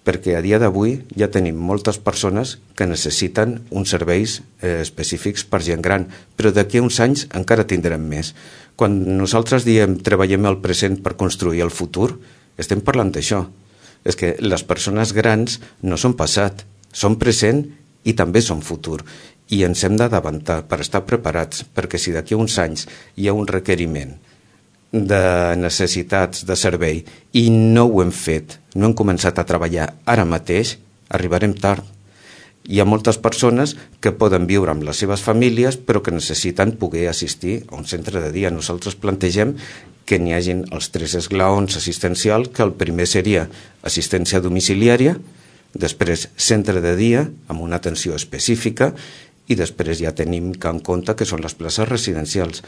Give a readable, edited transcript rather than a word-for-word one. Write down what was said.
perquè a dia d'avui ja tenim moltes persones que necessiten uns serveis específics per gent gran, però d'aquí a uns anys encara tindrem més. Quan nosaltres diem treballem el present per construir el futur, estem parlant d'això. És que les persones grans no són passat, són present i també són futur. I ens hem d'adavantar per estar preparats, perquè si d'aquí a uns anys hi ha un requeriment de necessitats de servei i no ho hem fet, no hem començat a treballar ara mateix, arribarem tard. Hi ha moltes persones que poden viure amb les seves famílies però que necessiten poder assistir a un centre de dia. Nosaltres plantegem que n'hi hagin els 3 esglaons assistencials, que el primer seria assistència domiciliària, després centre de dia amb una atenció específica i després ja tenim que en compte que són les places residencials.